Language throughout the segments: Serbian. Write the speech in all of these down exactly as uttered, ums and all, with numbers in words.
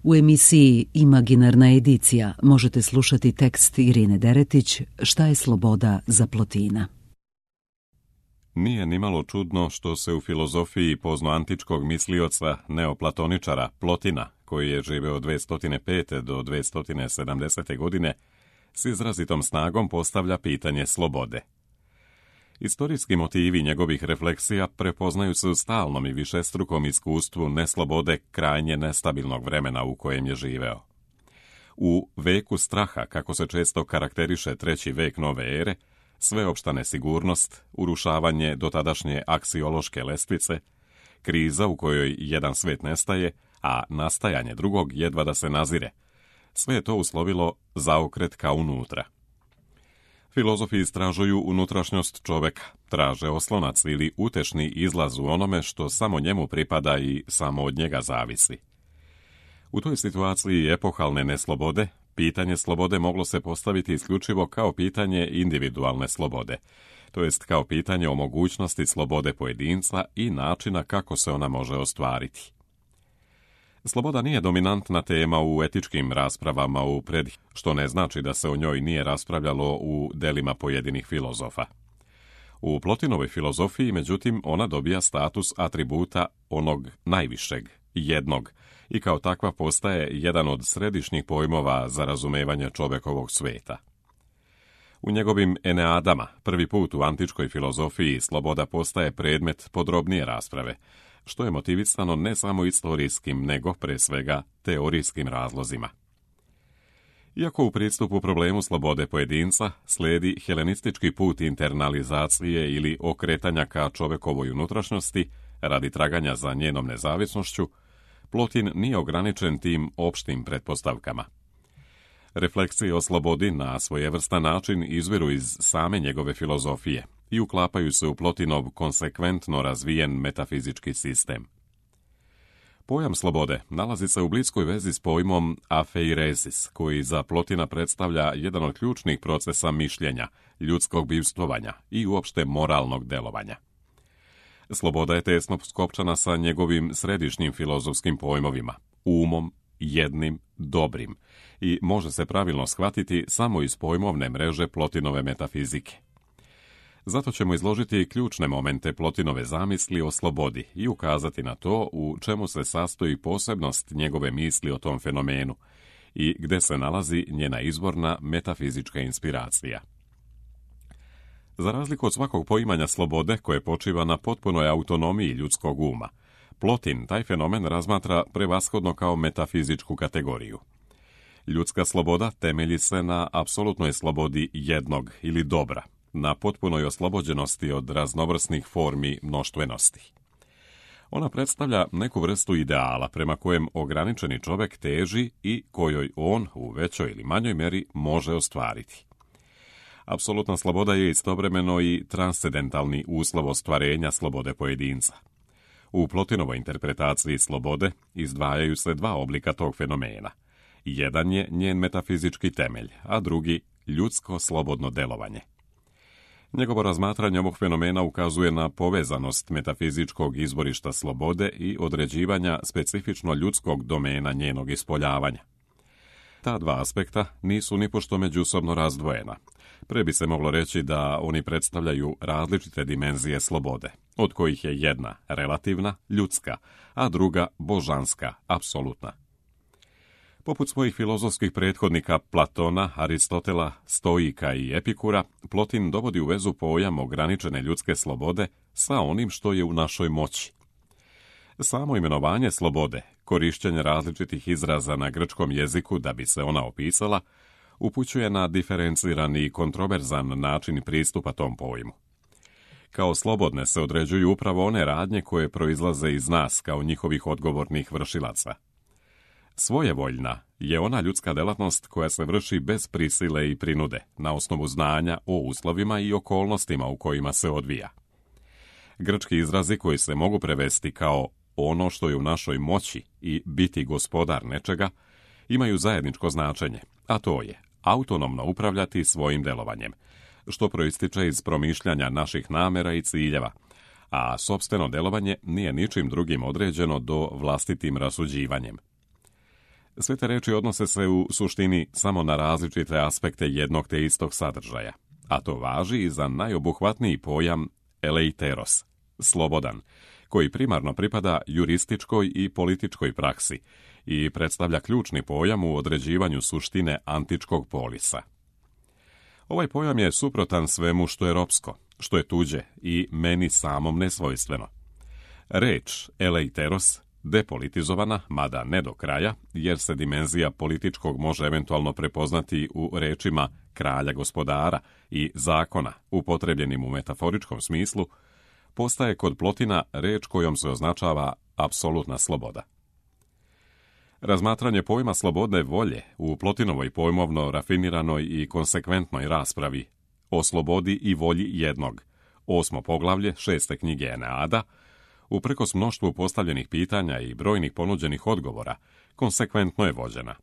U emisiji Imaginarna edicija možete slušati tekst Irine Deretić Šta je sloboda za Plotina. Nije nimalo čudno što se u filozofiji poznoantičkog mislioca neoplatoničara Plotina, koji je živeo od dvesta pete do dvesta sedamdesete godine, s izrazitom snagom postavlja pitanje slobode. Istorijski motivi njegovih refleksija prepoznaju se u stalnom i višestrukom iskustvu neslobode krajnje nestabilnog vremena u kojem je živeo. U veku straha, kako se često karakteriše treći vek nove ere, sveopšta nesigurnost, urušavanje dotadašnje aksiološke lestvice, kriza u kojoj jedan svet nestaje, a nastajanje drugog jedva da se nazire, sve je to uslovilo zaokret ka unutra. Filozofi istražuju unutrašnjost čoveka, traže oslonac ili utešni izlaz u onome što samo njemu pripada i samo od njega zavisi. U toj situaciji epohalne neslobode, pitanje slobode moglo se postaviti isključivo kao pitanje individualne slobode, to jest kao pitanje o mogućnosti slobode pojedinca i načina kako se ona može ostvariti. Sloboda nije dominantna tema u etičkim raspravama u pred, što ne znači da se o njoj nije raspravljalo u delima pojedinih filozofa. U Plotinovoj filozofiji, međutim, ona dobija status atributa onog najvišeg, jednog, i kao takva postaje jedan od središnjih pojmova za razumevanje čovekovog sveta. U njegovim Eneadama, prvi put u antičkoj filozofiji, sloboda postaje predmet podrobnije rasprave, što je motivisano ne samo istorijskim, nego pre svega teorijskim razlozima. Iako u pristupu problemu slobode pojedinca slijedi helenistički put internalizacije ili okretanja ka čovekovoj unutrašnjosti radi traganja za njenom nezavisnošću, Plotin nije ograničen tim opštim pretpostavkama. Refleksije o slobodi na svojevrstan način izviru iz same njegove filozofije i uklapaju se u Plotinov konsekventno razvijen metafizički sistem. Pojam slobode nalazi se u bliskoj vezi s pojmom afeiresis, koji za Plotina predstavlja jedan od ključnih procesa mišljenja, ljudskog bivstvovanja i uopšte moralnog delovanja. Sloboda je tesno skopčana sa njegovim središnjim filozofskim pojmovima, umom, jednim, dobrim, i može se pravilno shvatiti samo iz pojmovne mreže Plotinove metafizike. Zato ćemo izložiti ključne momente Plotinove zamisli o slobodi i ukazati na to u čemu se sastoji posebnost njegove misli o tom fenomenu i gde se nalazi njena izvorna metafizička inspiracija. Za razliku od svakog poimanja slobode koje počiva na potpunoj autonomiji ljudskog uma, Plotin taj fenomen razmatra prevashodno kao metafizičku kategoriju. Ljudska sloboda temelji se na apsolutnoj slobodi jednog ili dobra, na potpunoj oslobođenosti od raznovrsnih formi mnoštvenosti. Ona predstavlja neku vrstu ideala prema kojem ograničeni čovek teži i kojoj on u većoj ili manjoj meri može ostvariti. Apsolutna sloboda je istovremeno i transcendentalni uslov ostvarenja slobode pojedinca. U Plotinovoj interpretaciji slobode izdvajaju se dva oblika tog fenomena. Jedan je njen metafizički temelj, a drugi ljudsko slobodno delovanje. Njegovo razmatranje ovog fenomena ukazuje na povezanost metafizičkog izvorišta slobode i određivanja specifično ljudskog domena njenog ispoljavanja. Ta dva aspekta nisu nipošto međusobno razdvojena. Pre bi se moglo reći da oni predstavljaju različite dimenzije slobode, od kojih je jedna relativna, ljudska, a druga božanska, apsolutna. Poput svojih filozofskih prethodnika Platona, Aristotela, Stoika i Epikura, Plotin dovodi u vezu pojam ograničene ljudske slobode sa onim što je u našoj moći. Samo imenovanje slobode, korišćenje različitih izraza na grčkom jeziku da bi se ona opisala, upućuje na diferencirani i kontroverzan način pristupa tom pojmu. Kao slobodne se određuju upravo one radnje koje proizlaze iz nas kao njihovih odgovornih vršilaca. Svojevoljna je ona ljudska delatnost koja se vrši bez prisile i prinude, na osnovu znanja o uslovima i okolnostima u kojima se odvija. Grčki izrazi koji se mogu prevesti kao ono što je u našoj moći i biti gospodar nečega, imaju zajedničko značenje, a to je autonomno upravljati svojim delovanjem, što proističe iz promišljanja naših namera i ciljeva, a sopstveno delovanje nije ničim drugim određeno do vlastitim rasuđivanjem. Sve te reči odnose se u suštini samo na različite aspekte jednog te istog sadržaja, a to važi i za najobuhvatniji pojam eleiteros, slobodan, koji primarno pripada jurističkoj i političkoj praksi i predstavlja ključni pojam u određivanju suštine antičkog polisa. Ovaj pojam je suprotan svemu što je ropsko, što je tuđe i meni samom nesvojstveno. Reč eleiteros depolitizovana, mada ne do kraja, jer se dimenzija političkog može eventualno prepoznati u rečima kralja gospodara i zakona, upotrebljenim u metaforičkom smislu, postaje kod Plotina reč kojom se označava apsolutna sloboda. Razmatranje pojma slobodne volje u Plotinovoj pojmovno rafiniranoj i konsekventnoj raspravi o slobodi i volji jednog, osmo poglavlje šeste knjige Eneada, uprkos mnoštvu postavljenih pitanja i brojnih ponuđenih odgovora, konsekventno je vođena,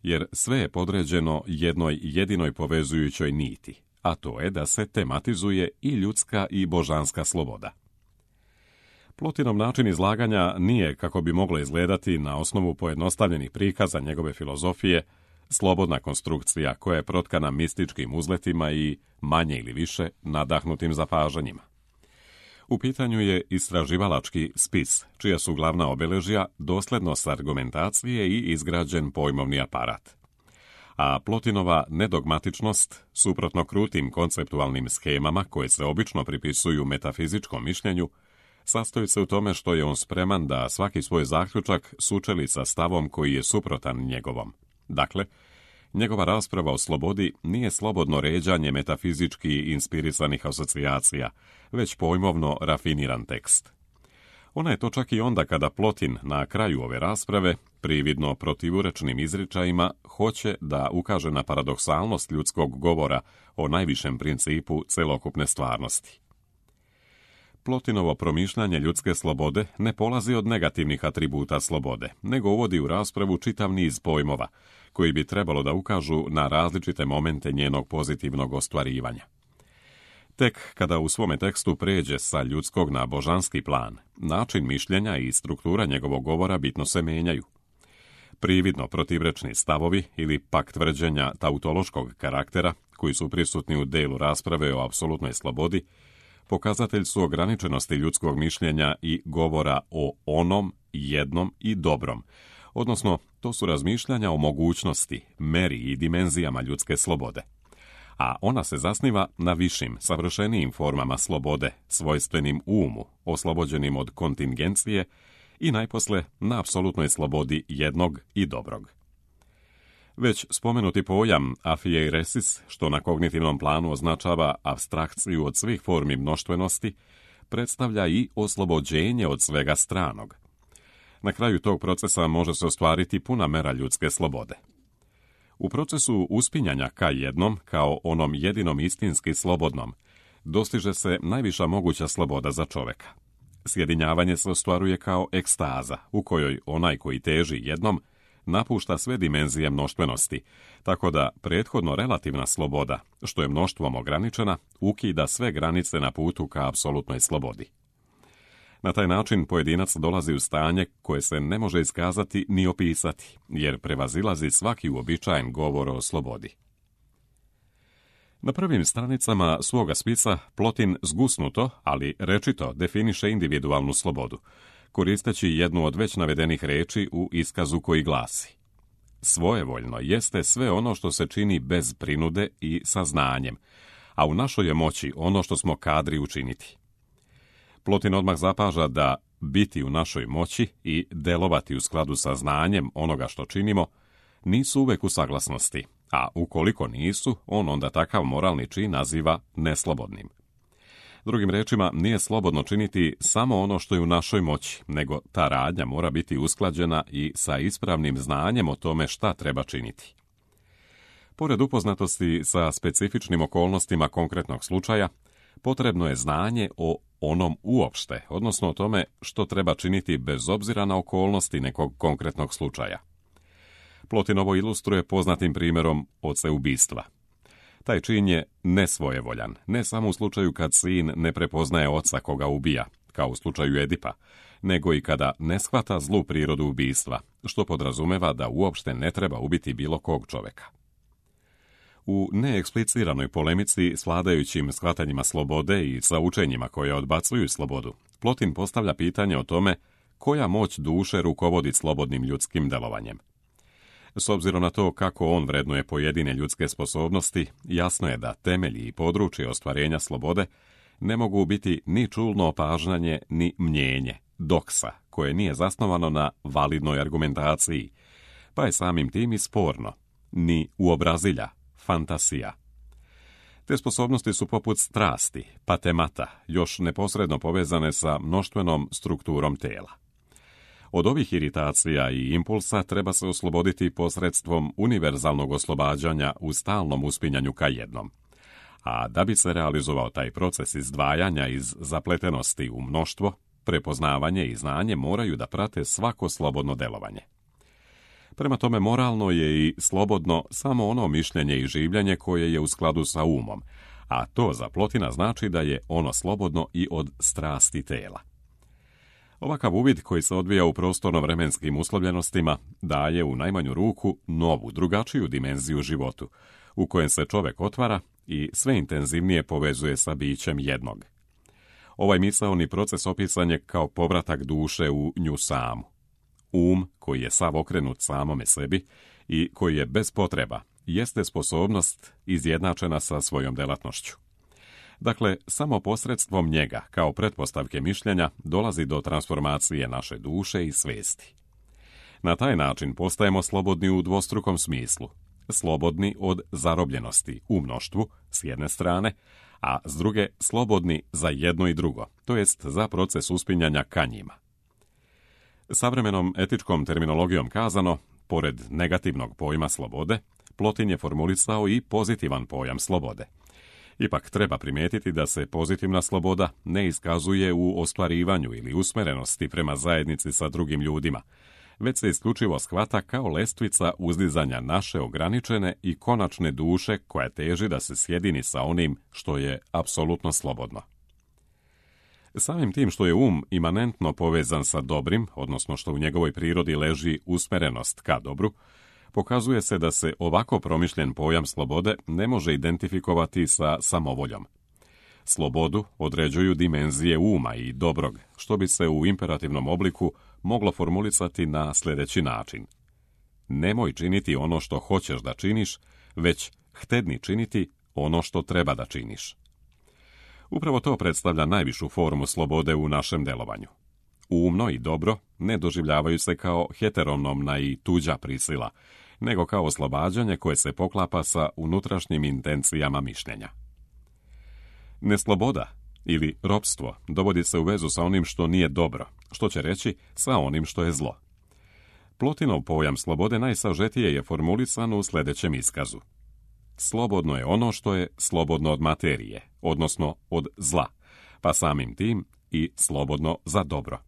jer sve je podređeno jednoj jedinoj povezujućoj niti, a to je da se tematizuje i ljudska i božanska sloboda. Plotinov način izlaganja nije, kako bi moglo izgledati na osnovu pojednostavljenih prikaza njegove filozofije, slobodna konstrukcija koja je protkana mističkim uzletima i, manje ili više, nadahnutim zapažanjima. U pitanju je istraživalački spis, čija su glavna obeležja doslednost argumentacije i izgrađen pojmovni aparat. A Plotinova nedogmatičnost, suprotno krutim konceptualnim schemama koje se obično pripisuju metafizičkom mišljenju, sastoji se u tome što je on spreman da svaki svoj zaključak sučeli sa stavom koji je suprotan njegovom. Dakle, njegova rasprava o slobodi nije slobodno ređanje metafizički inspirisanih asocijacija, već pojmovno rafiniran tekst. Ona je to čak i onda kada Plotin na kraju ove rasprave, prividno protivurečnim izričajima, hoće da ukaže na paradoksalnost ljudskog govora o najvišem principu celokupne stvarnosti. Plotinovo promišljanje ljudske slobode ne polazi od negativnih atributa slobode, nego uvodi u raspravu čitav niz pojmova, koji bi trebalo da ukažu na različite momente njenog pozitivnog ostvarivanja. Tek kada u svome tekstu pređe sa ljudskog na božanski plan, način mišljenja i struktura njegovog govora bitno se menjaju. Prividno protivrečni stavovi ili pak tvrđenja tautološkog karaktera, koji su prisutni u delu rasprave o apsolutnoj slobodi, pokazatelj su ograničenosti ljudskog mišljenja i govora o onom, jednom i dobrom, odnosno to su razmišljanja o mogućnosti, meri i dimenzijama ljudske slobode. A ona se zasniva na višim, savršenijim formama slobode, svojstvenim umu, oslobođenim od kontingencije i najposle na apsolutnoj slobodi jednog i dobrog. Već spomenuti pojam afieiresis, što na kognitivnom planu označava apstrakciju od svih formi mnoštvenosti, predstavlja i oslobođenje od svega stranog. Na kraju tog procesa može se ostvariti puna mera ljudske slobode. U procesu uspinjanja ka jednom, kao onom jedinom istinski slobodnom, dostiže se najviša moguća sloboda za čoveka. Sjedinjavanje se ostvaruje kao ekstaza, u kojoj onaj koji teži jednom napušta sve dimenzije mnoštvenosti, tako da prethodno relativna sloboda, što je mnoštvom ograničena, ukida sve granice na putu ka apsolutnoj slobodi. Na taj način pojedinac dolazi u stanje koje se ne može iskazati ni opisati, jer prevazilazi svaki uobičajen govor o slobodi. Na prvim stranicama svoga spisa Plotin zgusnuto, ali rečito definiše individualnu slobodu, koristeći jednu od već navedenih reči u iskazu koji glasi: svojevoljno jeste sve ono što se čini bez prinude i sa znanjem, a u našoj je moći ono što smo kadri učiniti. Plotin odmah zapaža da biti u našoj moći i delovati u skladu sa znanjem onoga što činimo nisu uvek u saglasnosti, a ukoliko nisu, on onda takav moralni čin naziva neslobodnim. Drugim rečima, nije slobodno činiti samo ono što je u našoj moći, nego ta radnja mora biti usklađena i sa ispravnim znanjem o tome šta treba činiti. Pored upoznatosti sa specifičnim okolnostima konkretnog slučaja, potrebno je znanje o onom uopšte, odnosno o tome što treba činiti bez obzira na okolnosti nekog konkretnog slučaja. Plotin ovo ilustruje poznatim primjerom oceubistva. Taj čin je nesvojevoljan, ne samo u slučaju kad sin ne prepoznaje oca koga ubija, kao u slučaju Edipa, nego i kada ne shvata zlu prirodu ubistva, što podrazumeva da uopšte ne treba ubiti bilo kog čoveka. U neekspliciranoj polemici s vladajućim shvatanjima slobode i sa učenjima koje odbacuju slobodu, Plotin postavlja pitanje o tome koja moć duše rukovodi slobodnim ljudskim delovanjem. S obzirom na to kako on vrednuje pojedine ljudske sposobnosti, jasno je da temelji i područje ostvarenja slobode ne mogu biti ni čulno opažanje, ni mnjenje, doksa, koje nije zasnovano na validnoj argumentaciji, pa je samim tim i sporno, ni uobrazilja, fantasija. Te sposobnosti su poput strasti, patemata, još neposredno povezane sa mnoštvenom strukturom tela. Od ovih iritacija i impulsa treba se osloboditi posredstvom univerzalnog oslobađanja u stalnom uspinjanju ka jednom. A da bi se realizovao taj proces izdvajanja iz zapletenosti u mnoštvo, prepoznavanje i znanje moraju da prate svako slobodno delovanje. Prema tome, moralno je i slobodno samo ono mišljenje i življenje koje je u skladu sa umom, a to za Plotina znači da je ono slobodno i od strasti tela. Ovakav uvid koji se odvija u prostorno-vremenskim uslovljenostima daje u najmanju ruku novu, drugačiju dimenziju životu, u kojem se čovek otvara i sve intenzivnije povezuje sa bićem jednog. Ovaj misaoni proces opisan je kao povratak duše u nju samu. Um, koji je sav okrenut samome sebi i koji je bez potreba, jeste sposobnost izjednačena sa svojom delatnošću. Dakle, samo posredstvom njega, kao pretpostavke mišljenja, dolazi do transformacije naše duše i svesti. Na taj način postajemo slobodni u dvostrukom smislu. Slobodni od zarobljenosti u mnoštvu, s jedne strane, a s druge slobodni za jedno i drugo, to jest za proces uspinjanja ka njima. Savremenom etičkom terminologijom kazano, pored negativnog pojma slobode, Plotin je formulisao i pozitivan pojam slobode. Ipak treba primijetiti da se pozitivna sloboda ne iskazuje u ostvarivanju ili usmerenosti prema zajednici sa drugim ljudima, već se isključivo shvata kao lestvica uzdizanja naše ograničene i konačne duše koja teži da se sjedini sa onim što je apsolutno slobodno. Samim tim što je um imanentno povezan sa dobrim, odnosno što u njegovoj prirodi leži usmerenost ka dobru, pokazuje se da se ovako promišljen pojam slobode ne može identifikovati sa samovoljom. Slobodu određuju dimenzije uma i dobrog, što bi se u imperativnom obliku moglo formulisati na sljedeći način. Nemoj činiti ono što hoćeš da činiš, već htedni činiti ono što treba da činiš. Upravo to predstavlja najvišu formu slobode u našem delovanju. Umno i dobro ne doživljavaju se kao heteronomna i tuđa prisila, nego kao oslobađanje koje se poklapa sa unutrašnjim intencijama mišljenja. Nesloboda ili ropstvo dovodi se u vezu sa onim što nije dobro, što će reći sa onim što je zlo. Plotinov pojam slobode najsažetije je formulisan u sljedećem iskazu. Slobodno je ono što je slobodno od materije, odnosno od zla, pa samim tim i slobodno za dobro.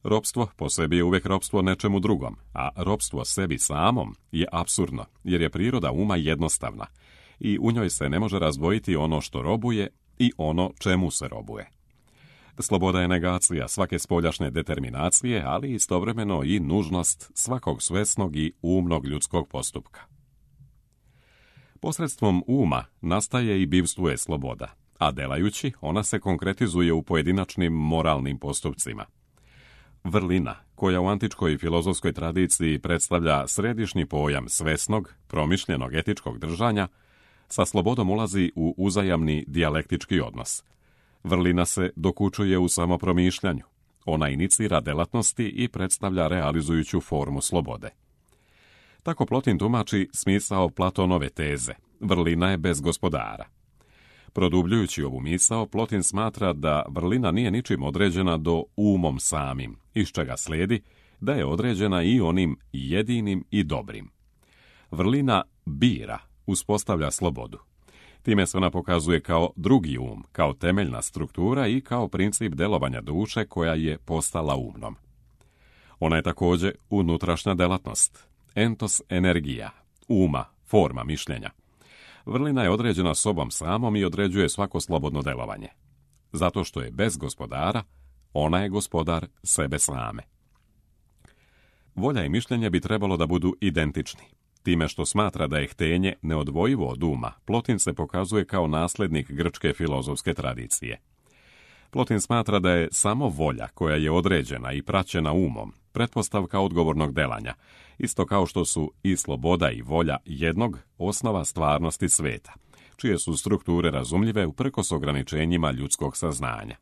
Ropstvo po sebi je uvijek ropstvo nečemu drugom, a ropstvo sebi samom je apsurdno, jer je priroda uma jednostavna i u njoj se ne može razdvojiti ono što robuje i ono čemu se robuje. Sloboda je negacija svake spoljašnje determinacije, ali istovremeno i nužnost svakog svesnog i umnog ljudskog postupka. Posredstvom uma nastaje i bivstvuje sloboda, a delajući ona se konkretizuje u pojedinačnim moralnim postupcima. Vrlina, koja u antičkoj filozofskoj tradiciji predstavlja središnji pojam svesnog, promišljenog etičkog držanja, sa slobodom ulazi u uzajamni dijalektički odnos. Vrlina se dokučuje u samopromišljanju. Ona inicira delatnosti i predstavlja realizujuću formu slobode. Tako Plotin tumači smisao Platonove teze. Vrlina je bez gospodara. Produbljujući ovu misao, Plotin smatra da vrlina nije ničim određena do umom samim, iz čega slijedi da je određena i onim jedinim i dobrim. Vrlina bira, uspostavlja slobodu. Time se ona pokazuje kao drugi um, kao temeljna struktura i kao princip delovanja duše koja je postala umnom. Ona je također unutrašnja delatnost, entos energija, uma, forma mišljenja. Vrlina je određena sobom samom i određuje svako slobodno delovanje. Zato što je bez gospodara, ona je gospodar sebe same. Volja i mišljenje bi trebalo da budu identični. Time što smatra da je htenje neodvojivo od uma, Plotin se pokazuje kao naslednik grčke filozofske tradicije. Plotin smatra da je samo volja koja je određena i praćena umom pretpostavka odgovornog delanja, isto kao što su i sloboda i volja jednog osnova stvarnosti sveta, čije su strukture razumljive uprkos ograničenjima ljudskog saznanja.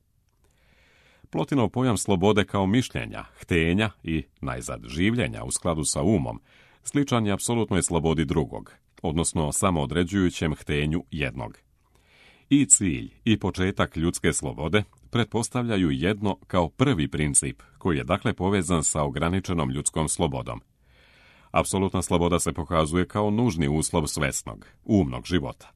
Plotinov pojam slobode kao mišljenja, htenja i, najzad, življenja u skladu sa umom, sličan je apsolutnoj slobodi drugog, odnosno samoodređujućem htenju jednog. I cilj i početak ljudske slobode pretpostavljaju jedno kao prvi princip, koji je dakle povezan sa ograničenom ljudskom slobodom. Apsolutna sloboda se pokazuje kao nužni uslov svesnog, umnog života.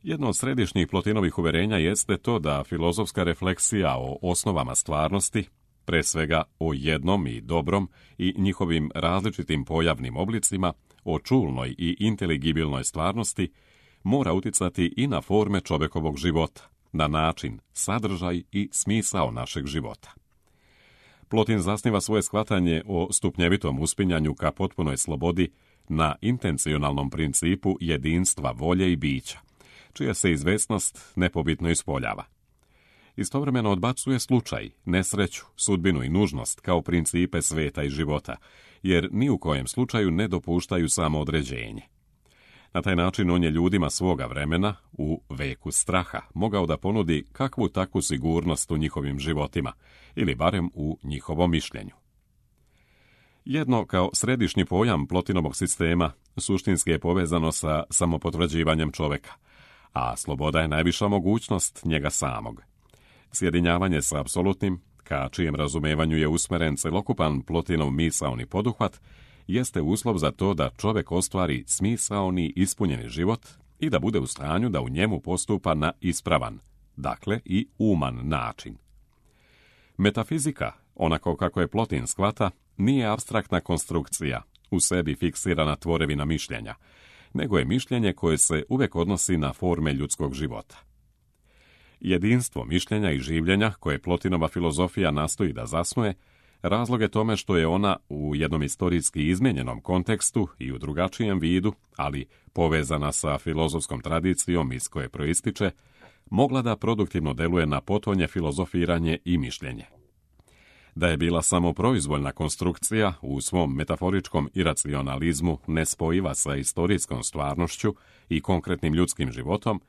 Jedno od središnjih Plotinovih uverenja jeste to da filozofska refleksija o osnovama stvarnosti, pre svega o jednom i dobrom i njihovim različitim pojavnim oblicima, o čulnoj i inteligibilnoj stvarnosti, mora uticati i na forme čovekovog života, na način, sadržaj i smisao našeg života. Plotin zasniva svoje shvatanje o stupnjevitom uspinjanju ka potpunoj slobodi na intencionalnom principu jedinstva volje i bića, čija se izvesnost nepobitno ispoljava. Istovremeno odbacuje slučaj, nesreću, sudbinu i nužnost kao principe sveta i života, jer ni u kojem slučaju ne dopuštaju samoodređenje. Na taj način on je ljudima svoga vremena, u veku straha, mogao da ponudi kakvu takvu sigurnost u njihovim životima, ili barem u njihovom mišljenju. Jedno kao središnji pojam Plotinovog sistema suštinski je povezano sa samopotvrđivanjem čoveka, a sloboda je najviša mogućnost njega samog. Sjedinjavanje sa apsolutnim, ka čijem razumevanju je usmeren celokupan Plotinov misaoni poduhvat, jeste uslov za to da čovek ostvari smisaoni ispunjeni život i da bude u stanju da u njemu postupa na ispravan, dakle i uman način. Metafizika, onako kako je Plotin shvata, nije apstraktna konstrukcija, u sebi fiksirana tvorevina mišljenja, nego je mišljenje koje se uvek odnosi na forme ljudskog života. Jedinstvo mišljenja i življenja koje Plotinova filozofija nastoji da zasnuje, razlog je tome što je ona u jednom istorijski izmijenjenom kontekstu i u drugačijem vidu, ali povezana sa filozofskom tradicijom iz koje proističe, mogla da produktivno deluje na potonje filozofiranje i mišljenje. Da je bila samo proizvoljna konstrukcija u svom metaforičkom iracionalizmu nespojiva sa istorijskom stvarnošću i konkretnim ljudskim životom,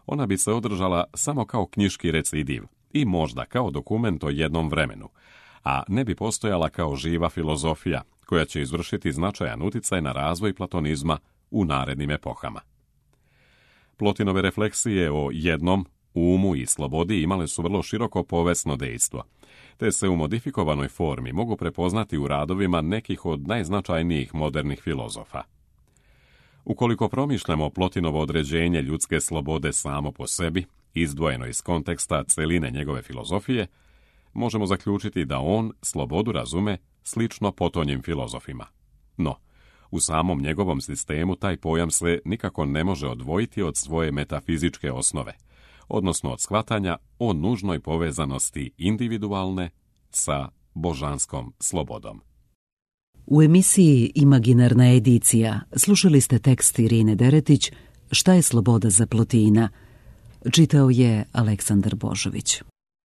ona bi se održala samo kao knjiški recidiv i možda kao dokument o jednom vremenu, a ne bi postojala kao živa filozofija koja će izvršiti značajan uticaj na razvoj platonizma u narednim epohama. Plotinove refleksije o jednom, umu i slobodi imale su vrlo široko povesno dejstvo, te se u modifikovanoj formi mogu prepoznati u radovima nekih od najznačajnijih modernih filozofa. Ukoliko promišljamo Plotinovo određenje ljudske slobode samo po sebi, izdvojeno iz konteksta celine njegove filozofije, možemo zaključiti da on slobodu razume slično potonjim filozofima. No, u samom njegovom sistemu taj pojam se nikako ne može odvojiti od svoje metafizičke osnove, odnosno od shvatanja o nužnoj povezanosti individualne sa božanskom slobodom. U emisiji Imaginarna edicija slušali ste tekst Irine Deretić "Šta je sloboda za Plotina?" Čitao je Aleksandar Božović.